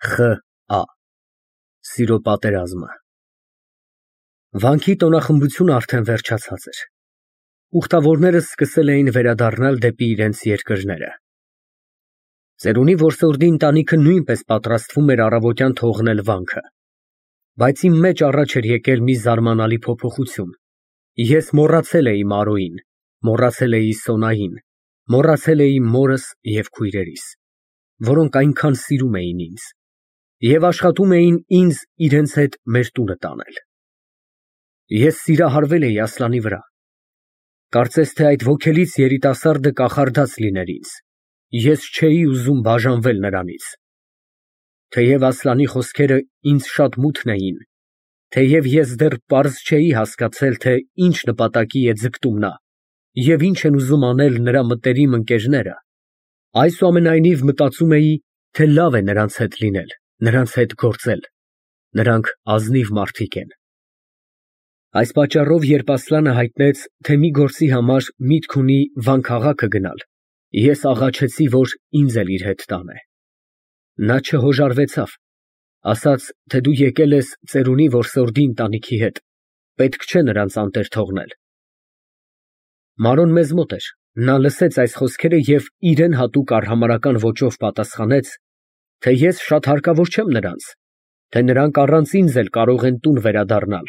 Խ.Ա. Սիրո պատերազմը։ Վանքի տոնախմբությունը արդեն վերջացած էր։ Ուխտավորները սկսել էին վերադառնալ դեպի իրենց երկրները։ Ծերունի որսորդի ընտանիքը նույնպես պատրաստվում էր առավոտյան թողնել վանքը։ Բայց իմ մեջ առաջ էր եկել մի զարմանալի փոփոխություն։ Ես մոռացել էի Մարոյին, մոռացել էի Սոնային, մոռացել էի մորս և քույրերիս, որոնք այնքան սիրում էին ինձ և աշխատում էին ինձ իրենց հետ մեր տունը տանել։ Ես սիրահարվել էի Ասլանի վրա։ Կարծես թե այդ ոգելից երիտասարդը կախարդած լիներ ինձ, ես չէի ուզում բաժանվել նրանից։ Թեև Ասլանի խոսքերը ինձ շատ մութն էին, թեև ես դեռ պարզ չէի հասկացել, թե ինչ նպատակի է ձգտում նա և ինչ են ուզում անել նրա մտերիմ ընկերները, այսուամենայնիվ մտածում էի, թե լավ է նրանց հետ լինել, նրանց հետ գործել, նրանք ազնիվ մարդիկ են։ Այս պատճառով, երբ Ասլանը հայտնեց, թե մի գործի համար միտք ունի Վան քաղաքը գնալ, ես աղաչեցի, որ ինձ էլ իր հետ տանե։ Նա չհոժարվեցավ, ասաց, թե դու եկել ես ծերունի որսորդի ընտանիքի հետ, պետք չէ նրանց անտեր թողնել։ Մարոն մեզ մոտ էր, նա լսեց այս խոսքերը և իրեն հատուկ արհամարհական ոճով պատասխանեց, թե ես շատ հարկավոր չեմ նրանց, թե նրանք առանց ինձ էլ կարող են տուն վերադառնալ,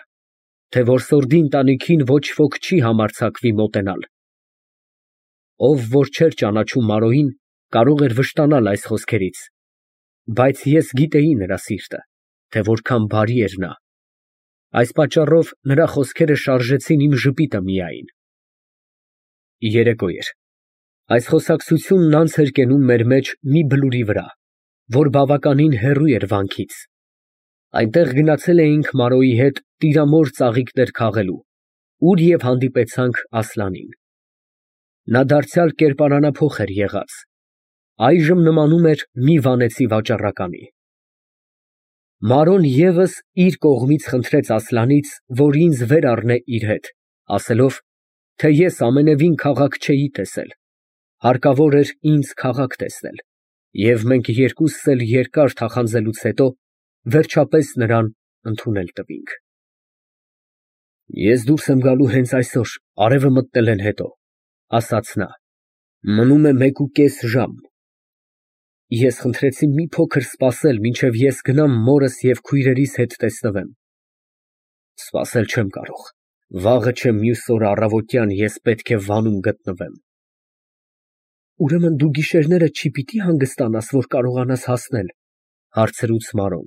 թե որսորդի ընտանիքին ոչ ոք չի համարձակվի մոտենալ։ Ով որ չէր ճանաչում Մարոյին, կարող էր վշտանալ այս խոսքերից, բայց ես գիտեի նրա սիրտը, թե որքան բարի էր նա։ Այս պատճառով նրա խոսքերը շարժեցին իմ ժպիտը միայն։ Երեկո էր։ Այս խոսակցությունն անց էր կենում մեր մեջ մի բլուրի վրա, որ բավականին հեռու էր վանքից։ Այնտեղ գնացել էինք Մարոյի հետ տիրամոր ծաղիկներ քաղելու, ուր և հանդիպեցանք Ասլանին։ Նա դարձյալ կերպարանափոխ էր եղած, այժմ նմանում էր մի վանեցի վաճառականի։ Մարոն ևս իր կողմից խնդրեց Ասլանից, որ ինձ վեր առնե իր հետ, ասելով, թե ես ամենևին քաղաք չէի տեսել, հարկավոր էր ինձ քաղաք տեսնել, և մենք երկուսս էլ երկար թախանձելուց հետո վերջապես նրան ընդունել տվինք։ Ես դուրս եմ գալու հենց այսօր, արևը մտնելեն հետո, ասաց նա, մնում է 1.5 ժամ։ Ես խնդրեցի մի փոքր սպասել, մինչև ես գնամ մորս և քույրերիս հետ տեսնվեմ։ Սպասել չեմ կարող, վաղը չէ մյուս օրը առավոտյան ես պետք է վանում գտնվեմ։ Ուրեմն դու գիշերները չի պիտի հանգստանաս, որ կարողանաս հասնել, հարցրուց Մարոն։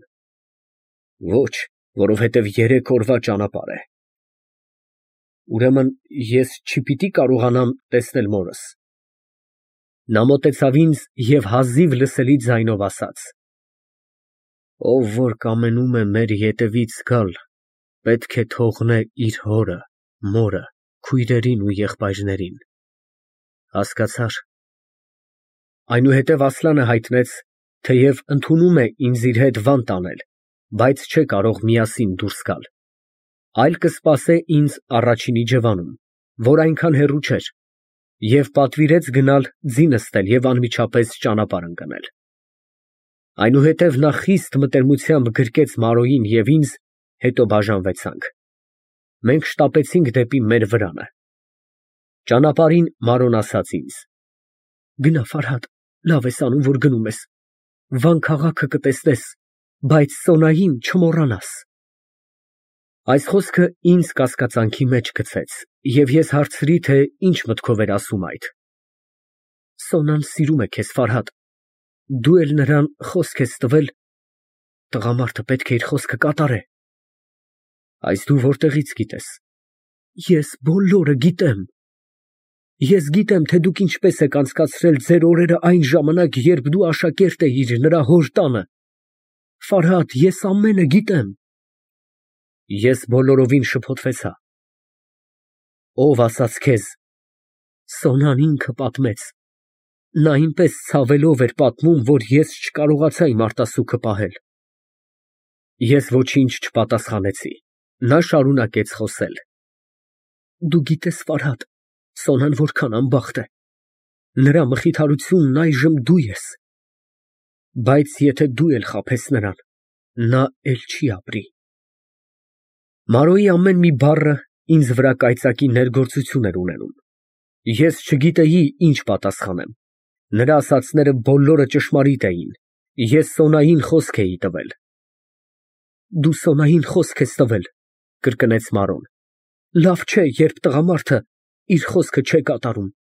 Ոչ, որովհետև 3 օրվա ճանապարհ է։ Ուրեմն ես չի պիտի կարողանամ տեսնել մորս։ Նա մոտեցավ ինձ և հազիվ լսելի ձայնով ասաց. Ով որ կամենում է մեր ետևից գալ, պետք է թողնե իր հորը, մորը, քույրերին ու եղբայրներին։ Հասկացա՞ր։ Այնուհետև Ասլանը հայտնեց, թեև ընդունում է ինձ իր հետ վան տանել, բայց չէ կարող միասին դուրս գալ, այլ կսպասե ինձ առաջին իջևանում, որ այնքան հեռու չէր, և պատվիրեց գնալ ձի նստել և անմիջապես ճանապարհ ընկնել։ Այնուհետև նա խիստ մտերմությամբ գրկեց Մարոյին և ինձ, հետո բաժանվեցանք։ Մենք շտապեցինք դեպի մեր վրանը։ Ճանապարհին Մարոն ասաց ինձ. Գնա, Ֆարհադ, լավ ես անում, որ գնում ես, Վան քաղաքը կտեսնես, բայց Սոնային չմոռանաս։ Այս խոսքը ինձ կասկածանքի մեջ գցեց, և ես հարցրի, թե ինչ մտքով էր ասում այդ։ Սոնան սիրում է քեզ, Ֆարհադ, դու էլ նրան խոսք ես տվել, տղամարդը պետք է իր խոսքը կատարե։ Այս դու որտեղից գիտես։ Ես բոլորը գիտեմ։ Ես գիտեմ, թե դուք ինչպես եք անցկացրել ձեր օրերը այն ժամանակ, երբ դու աշակերտ էիր նրա հոր տանը։ Ֆարհադ, ես ամենը գիտեմ։ Ես բոլորովին շփոթվեցա։ Ով ասաց քեզ։ Սոնան ինքը պատմեց։ Նա այնպես ցավելով էր պատմում, որ ես չկարողացա իմ արտասուքը պահել։ Ես ոչինչ չպատասխանեցի։ Նա շարունակեց խոսել. Դու գիտես, Ֆարհադ, Սոնան որքան անբախտ է։ Նրա մխիթարությունն այժմ դու ես։ Բայց եթե դու էլ խաբես նրան, նա էլ չի ապրի։ Մարոյի ամեն մի բառը ինձ վրա կայծակի ներգործություն էր ունենում։ Ես չգիտեի ինչ պատասխանեմ։ Նրա ասածները բոլորը ճշմարիտ էին։ Ես Սոնային խոսք էի տվել։ Դու Սոնային խոսք ես տվել, կրկնեց Մարոն։ Լավ չէ, երբ տղամարդը իր խոսքը չէ կատարում։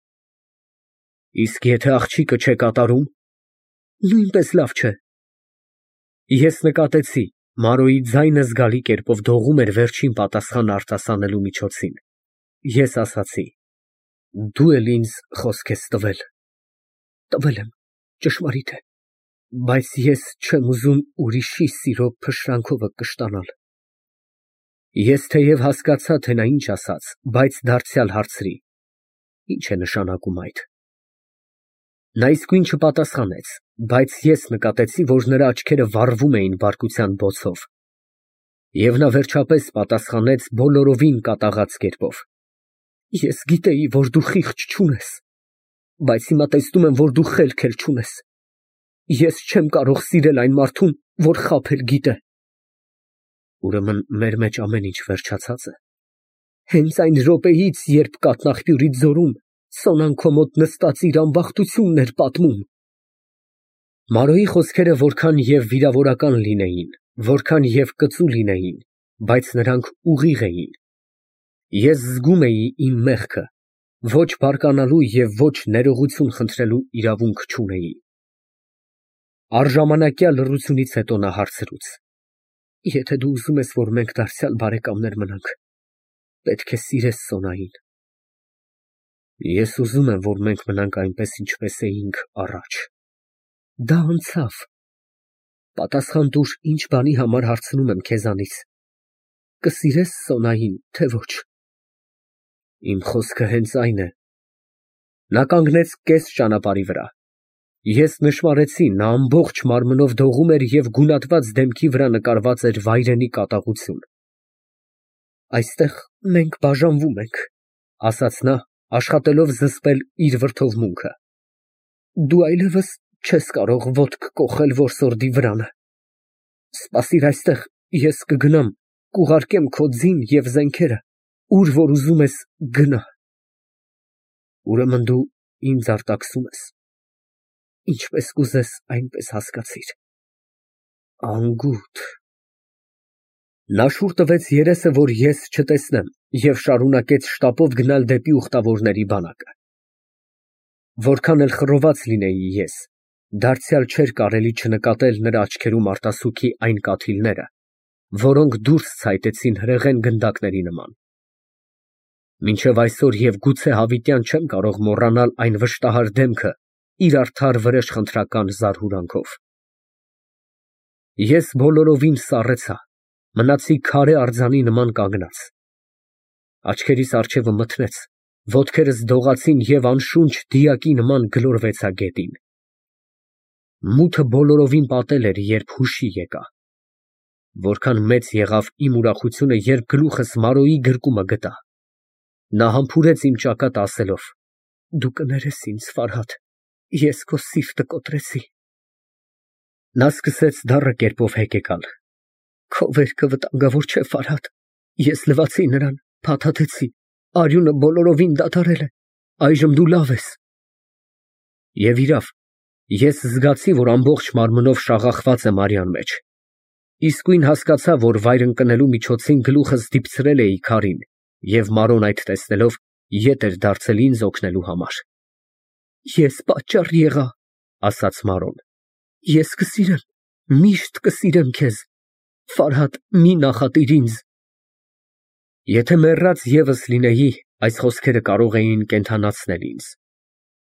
Իսկ եթե աղջիկը չէ կատարում, նույնպես լավ չէ։ Ես նկատեցի, Մարոյի ձայնը զգալի կերպով դողում էր վերջին պատասխան արտասանելու միջոցին։ Ես ասացի. Դու էլ ինձ խոսք ես տվել։ Տվել եմ, ճշմարիտ է, բայց ես չեմ ուզում ուրիշի սիրո փշրանքովը կշտանալ։ Ես թեև հասկացա, թե նա ինչ ասաց, բայց դարձյալ հարցրի. Ինչ է նշանակում այդ։ Նա իսկույն չպատասխանեց, բայց ես նկատեցի, որ նրա աչքերը վառվում էին բարկության բոցով։ Եվ նա վերջապես պատասխանեց բոլորովին կատաղած կերպով. Ես գիտեի, որ դու խիղճ չունես, բայց հիմա տեսնում եմ, որ դու խելք էլ չունես։ Ես չեմ կարող սիրել այն մարդուն, որ խաբել գիտե։ Ուրեմն մեր մեջ ամեն ինչ վերջացած է։ Հենց այն րոպեից, երբ կաթնաղբյուրի ձորում Սոնան քո մոտ նստած իր ամբախտությունն էր պատմում։ Մարոյի խոսքերը որքան և վիրավորական լինեին, որքան և կծու լինեին, բայց նրանք ուղիղ էին։ Ես զգում էի իմ մեղքը, ոչ բարկանալու և ոչ ներողություն խնդրելու իրավունք չունեի։ Առժամանակյա լռությունից հետո նա հարցրուց. Եթե դու ուզում ես, որ մենք դարձյալ բարեկամներ մնանք, պետք է սիրես Սոնային։ Ես ուզում եմ, որ մենք մնանք այնպես, ինչպես էինք առաջ։ Դա անցավ։ Պատասխան տուր, ինչ բանի համար հարցնում եմ քեզանից. կսիրես Սոնային, թե ոչ։ Իմ խոսքը հենց այն է։ Նա կանգնեց կես ճանապարհի վրա։ Ես նշմարեցի, նա ամբողջ մարմնով դողում էր և գունատված դեմքի վրա նկարված էր վայրենի կատաղություն։ Այստեղ մենք բաժանվում ենք, ասաց նա, աշխատելով զսպել իր վրդովմունքը։ Դու այլևս չես կարող ոտք կոխել որսորդի վրանը։ Սպասիր այստեղ, ես կգնամ, կուղարկեմ քո ձին և զենքերը, ուր որ ուզում ես գնա։ Ուրեմն դու ինձ արտաքսում ես։ Ինչպես կուզես, այնպես հասկացիր։ Անգութ։ Նա շուռ տվեց երեսը, որ ես չտեսնեմ, և շարունակեց շտապով գնալ դեպի ուխտավորների բանակը։ Որքան էլ խռոված լինեի ես, դարձյալ չէր կարելի չնկատել նրա աչքերում արտասուքի այն կաթիլները, որոնք դուրս ցայտեցին հրեղեն գնդակների նման։ Մինչև այսօր և գուցե հավիտյան չեմ կարող մոռանալ այն վշտահար դեմքը իր արդար վրեժխնդրական զարհուրանքով։ Ես բոլորովին սառեցա, մնացի քարե արձանի նման կանգնած։ Աչքերիս առջևը մթնեց, ոտքերս դողացին և անշունչ դիակի նման գլորվեցա գետին։ Մութը բոլորովին պատել էր, երբ հուշի եկա։ Որքան մեծ եղավ իմ ուրախությունը, երբ գլուխս Մարոյի գրկումը գտա։ Նա համբուրեց իմ ճակատը ասելով. Դու կներես ինձ, Ֆարհադ, ես քո սիրտը կոտրեցի։ Նա սկսեց դառը կերպով հեկեկալ։ Քո վերքը վտանգավոր չէ, Ֆարհադ, ես լվացի նրան, փաթաթեցի, արյունը բոլորովին դադարել է, այժմ դու լավ ես։ Եվ իրավ, ես զգացի, որ ամբողջ մարմնով շաղախված եմ արյան մեջ։ Իսկույն հասկացա, որ վայր ընկնելու միջոցին գլուխս դիպցրել էի քարին, և Մարոն այդ տեսնելով ետ էր դարձել ինձ օգնելու համար։ Ես պատճառ եղա, ասաց Մարոն։ Ես կսիրեմ, միշտ կսիրեմ քեզ, Ֆարհադ, մի նախատիր ինձ։ Եթե մեռած ևս լինեի, այս խոսքերը կարող էին կենդանացնել ինձ։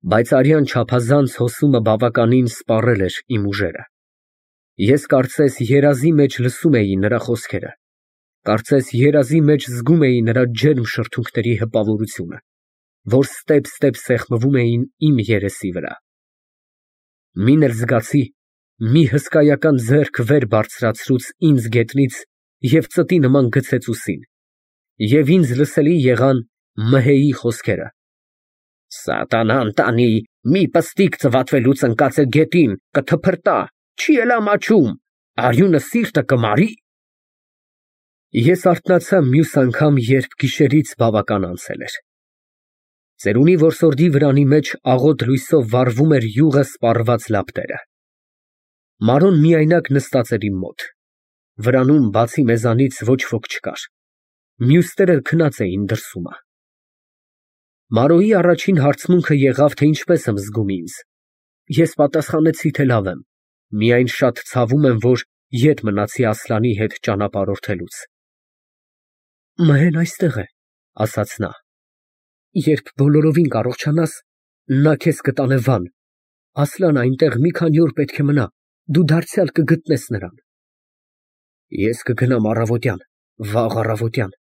Բայց արյան չափազանց հոսումը բավականին սպառել էր իմ ուժերը։ Ես կարծես երազի մեջ լսում էի նրա խոսքերը, կարծես երազի մեջ զգում էի նրա ջերմ շրթունքների հպավորությունը, որ ստեպ-ստեպ սեղմվում էին իմ երեսի վրա։ Մին էլ զգացի, մի հսկայական ձեռք վեր բարձրացրուց ինձ գետնից և ծտի նման գցեց ուսին, և ինձ լսելի եղան Մհեի խոսքերը. Սատանան տանի, մի պստիկ ծվատվելուց ընկած է գետին, կթփրտա, չի էլ ամաչում, արյունը սիրտը կմարի։ Ես արթնացա մյուս անգամ, երբ գիշերից բավական անցել էր։ Ծերունի որսորդի վրանի մեջ աղոտ լույսով վառվում էր յուղը սպառված լապտերը։ Մարոն միայնակ նստած էր իմ մոտ։ Վրանում բացի մեզանից ոչ ոք չկար։ Մյուսները քնած էին դրսումա։ Մարոյի առաջին հարցմունքը եղավ, թե ինչպես եմ զգում ինձ։ Ես պատասխանեցի, թե լավ եմ, միայն շատ ցավում եմ, որ ետ մնացի Ասլանի հետ ճանապարհորդելուց։ Մհեն այստեղ է, ասաց նա։ Երբ բոլորովին կարողանաս, նա քեզ կտանե Վան։ Ասլան այնտեղ մի քանի օր պետք է մնա, դու դարձյալ կգտնես նրան։ Ես կգնամ առավոտյան, վաղ առավոտյան։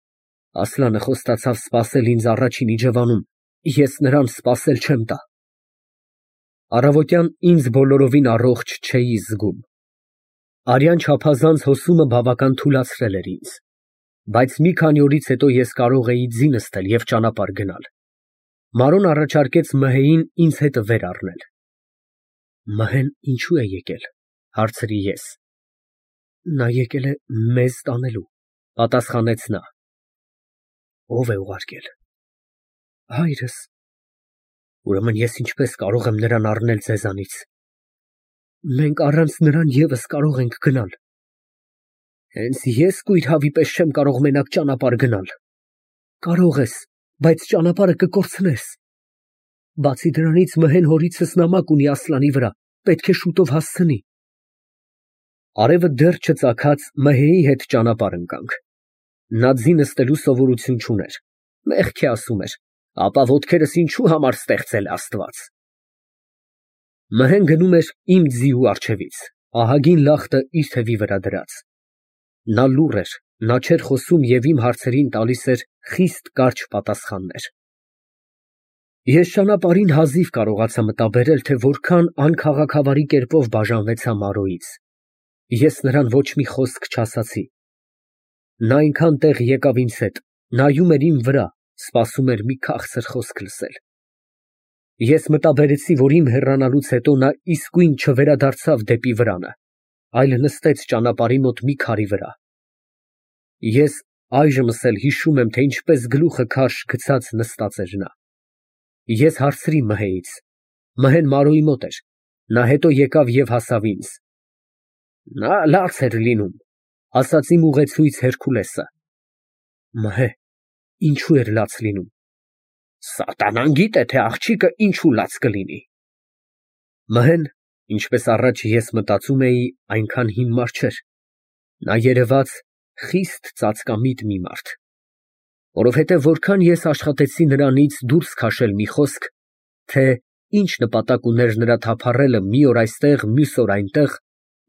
Ասլանը խոստացավ սպասել ինձ առաջին իջևանում, ես նրան սպասել չեմ տա։ Առավոտյան ինձ բոլորովին առողջ չէի զգում։ Արյան չափազանց հոսումը բավական թուլացրել էր ինձ, բայց մի քանի օրից հետո ես կարող էի ձի նստել և ճանապարհ գնալ։ Մարոն առաջարկեց Մհեին ինձ հետ վեր առնել։ Մհեն ինչու է եկել, հարցրի ես։ Նա եկել է մեզ տանելու, պատասխանեց նա։ Ո՞վ է ուղարկել։ Հայրս։ Ուրեմն ես ինչպես կարող եմ նրան առնել ձեզանից։ Մենք առանց նրան ևս կարող ենք գնալ։ Հենց ես կույր հավի պես չեմ կարող մենակ ճանապարհ գնալ։ Կարող ես, բայց ճանապարհը կկորցնես։ Բացի դրանից Մհեն հորիցս նամակ ունի Ասլանի վրա, պետք է շուտով հասցնի։ Արևը դեռ չծագած Մհեի հետ ճանապարհ ընկանք։ Նա ձի նստելու սովորություն չուներ։ Մեղք է ասում էր, ապա ոտքերս ինչու համար ստեղծել Աստված։ Մհեն գնում էր իմ ձիու առջևից, ահագին լախտը իր թևի վրա դրած։ Նա լուռ էր, նա չէր խոսում և իմ հարցերին տալիս էր խիստ կարճ պատասխաններ։ Ես ճանապարհին հազիվ կարողացա մտաբերել, թե որքան անքաղաքավարի կերպով բաժանվեցա Մարոյից։ Ես նրան ոչ մի խոսք չասացի։ Նա այնքան տեղ եկավ ինձ հետ, նայում էր իմ վրա, սպասում էր մի քաղցր խոսք լսել։ Ես մտաբերեցի, որ իմ հեռանալուց հետո նա իսկույն չվերադարձավ դեպի վրանը, այլ նստեց ճանապարհի մոտ մի քարի վրա։ Ես այժմս էլ հիշում եմ, թե ինչպես գլուխը քարշ գցած նստած էր նա։ Ես հարցրի Մհեից։ Մհեն Մարոյի մոտ էր։ Նա հետո եկավ և հասավ ինձ։ Նա լաց էր լինում, ասաց իմ ուղեցույց Հերքուլեսը։ Մհե, ինչու էր լաց լինում։ Սատանան գիտե, թե աղջիկը ինչու լաց կլինի։ Մհեն, ինչպես առաջ ես մտածում էի, այնքան հիմար չէր։ Նա երևաց խիստ ծածկամիտ մի մարդ։ Որովհետև որքան ես աշխատեցի նրանից դուրս քաշել մի խոսք, թե ինչ նպատակ ուներ նրա թափառելը մի օր այստեղ, մյուս օր այնտեղ,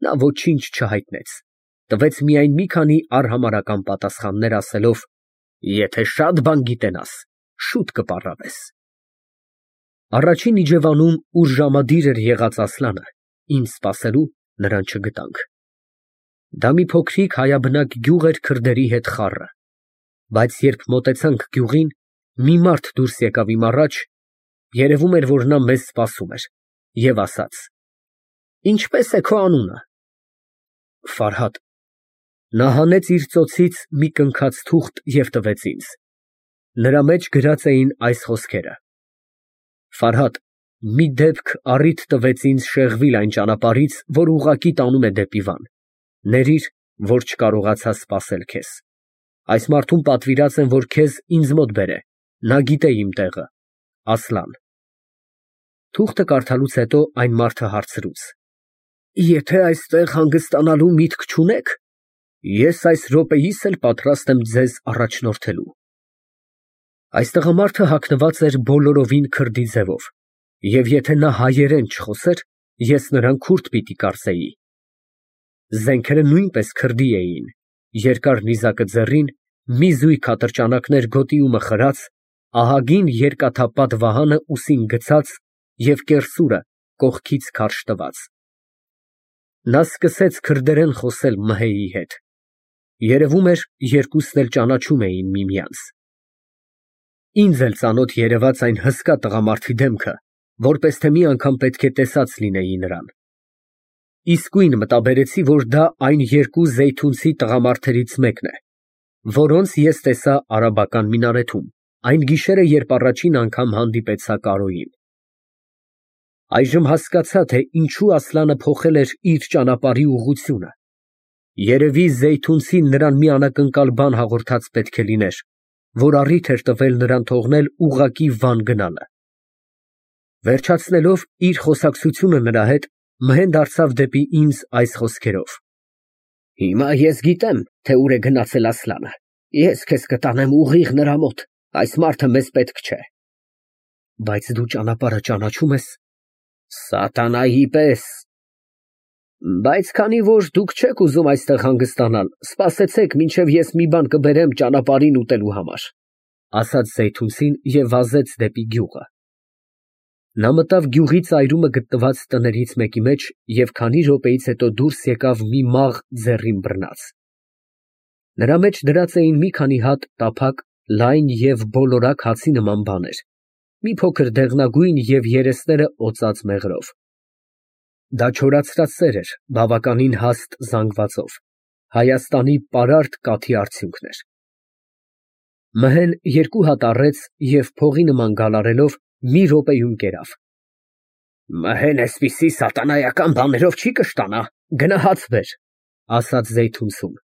նա ոչինչ չհայտնեց, տվեց միայն մի քանի արհամարհական պատասխաններ ասելով. եթե շատ բան գիտենաս, շուտ կպառավես։ Առաջին իջևանում, ուր ժամադիր էր եղած Ասլանը, ինձ սպասելու, նրան չգտանք։ Դա մի փոքրիկ հայաբնակ գյուղ էր քրդերի հետ խառը, բայց երբ մոտեցանք գյուղին, մի մարդ դուրս եկավ իմ առաջ, երևում էր, որ նա մեզ սպասում էր, և ասաց. Ինչպե՞ս է քո անունը։ Ֆարհադ։ Նա հանեց իր ծոցից մի կնքած թուղթ և տվեց ինձ։ Նրա մեջ գրած էին այս խոսքերը. Ֆարհադ, մի դեպք առիթ տվեց ինձ շեղվել այն ճանապարհից, որ ուղղակի տանում է դեպի Վան։ Ներիր, որ չկարողացա սպասել քեզ։ Այս մարդուն պատվիրած եմ, որ քեզ ինձ մոտ բերե, նա գիտե իմ տեղը։ Ասլան։ Թուղթը կարդալուց հետո այն մարդը հարցրուց. Եթե այստեղ հանգստանալու միտք չունեք, ես այս րոպեիս էլ պատրաստ եմ ձեզ առաջնորդելու։ Այս տղամարդը հագնված էր բոլորովին քրդի ձևով, և եթե նա հայերեն չխոսեր, ես նրան քուրդ պիտի կարծեի։ Զենքերը նույնպես քրդի էին, երկար նիզակը ձեռին, մի զույգ ատրճանակներ գոտի ու մխրած, ահագին երկաթապատ վահանը ուսին գցած և կեռսուրը կողքից քարշ տված։ Նա սկսեց քրդերեն խոսել Մհեի հետ։ Երևում էր, երկուսն էլ ճանաչում էին միմյանց։ Ինձ էլ ծանոթ երևաց այն հսկա տղամարդի դեմքը, որպես թե մի անգամ պետք է տեսած լինեի նրան։ իսկույն մտաբերեցի, որ դա այն երկու զեյթունցի տղամարդերից մեկն է, որոնց ես տեսա արաբական մինարեթում, այն գիշերը, երբ առաջին անգամ հանդիպեցա Կարոյին։ Այժմ հասկացա, թե ինչու Ասլանը փոխել էր իր ճանապարհի ուղղությունը։ Երևի զեյթունցին նրան մի անակնկալ բան հաղորդած պետք է լիներ, որ առիթ էր տվել նրան թողնել ուղղակի Վան գնալը։ Վերջացնելով իր խոսակցությունը նրա հետ, Մհեն դարձավ դեպի ինձ այս խոսքերով. Հիմա ես գիտեմ, թե ուր է գնացել Ասլանը։ Ես քեզ կտանեմ ուղիղ նրա մոտ, այս մարդը մեզ պետք չէ։ Բայց դու ճանապարհը ճանաչում ես։ Սատանայի պես։ Բայց քանի որ դուք չեք ուզում այստեղ հանգստանալ, սպասեցեք, մինչև ես մի բան կբերեմ ճանապարհին ուտելու համար, ասաց զեյթունցին և վազեց դեպի գյուղը։ Նա մտավ գյուղի ծայրումը գտնված տներից մեկի մեջ և քանի րոպեից հետո դուրս եկավ մի մաղ ձեռին բռնած։ Նրա մեջ դրած էին մի քանի հատ տափակ, լայն և բոլորակ հացի նման բաներ, մի փոքր դեղնագույն և երեսները օծած մեղրով։ Դա չորացրած սեր էր, բավականին հաստ զանգվածով, Հայաստանի պարարտ կաթի արդյունքն էր։ Մհեն երկու հատ առեց և փողի նման գալարելով մի րոպեում կերավ։ Մհեն էսպիսի սատանայական բաներով չի կշտանա, գնա հաց բեր, ասաց զեյթունցուն։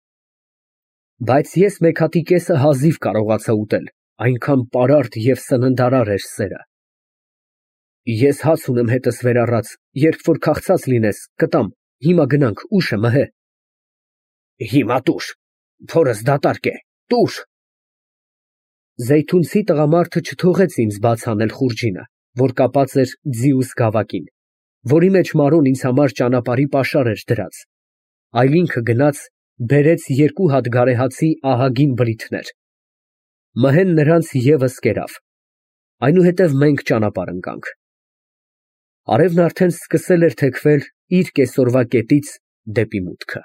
Բայց ես մեկ հատի կեսը հազիվ կարողացա ուտել, այնքան պարարտ և սննդարար էր սերը։ Ես հաց ունեմ հետս վեր առած, երբ որ քաղցած լինես, կտամ, հիմա գնանք, ուշ է, Մհե։ Հիմա տուր, փորս դատարկ է, տուր։ Զեյթունցի տղամարդը չթողեց ինձ բաց անել խուրջինը, որ կապած էր ձիուս գավակին, որի մեջ Մարոն ինձ համար ճանապարհի պաշար էր դրած, այլ ինքը գնաց բերեց երկու հատ գարեհացի ահագին բրիթներ։ Մհեն նրանց ևս կերավ։ Այնուհետև մենք ճանապարհ ընկանք։ Արևն արդեն սկսել էր թեքվել իր կեսօրվա կետից դեպի մուտքը։